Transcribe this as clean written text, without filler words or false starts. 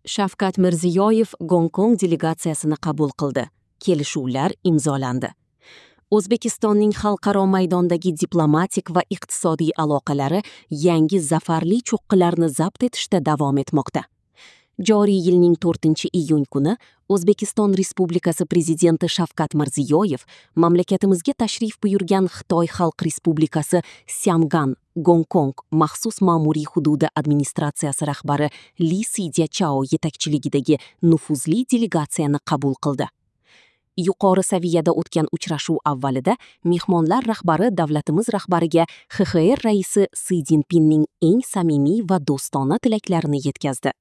Shavkat Mirziyoyev Gonkong delegatsiyasini qabul qildi. Kelishuvlar imzolandi. O'zbekistonning xalqaro maydondagi diplomatik va iqtisodiy aloqalari yangi zafarli cho'qqilarni zabt etishda davom etmoqda. Joriy yilning 4-iyun kuni O'zbekiston Respublikasi Prezidenti Shavkat Mirziyoyev mamlakatimizga tashrif buyurgan Xitoy Xalq Respublikasi Syangan, Gonkong maxsus ma'muriy hududi administratsiyasi rahbari Li Sidyachao yetakchiligidagi nufuzli delegatsiyani qabul qildi. Yuqori saviyada o'tgan uchrashuv avvalida mehmonlar rahbari davlatimiz rahbariga XXR raisi Si Szinpinning eng samimiy va do'stona tilaklarini yetkazdi.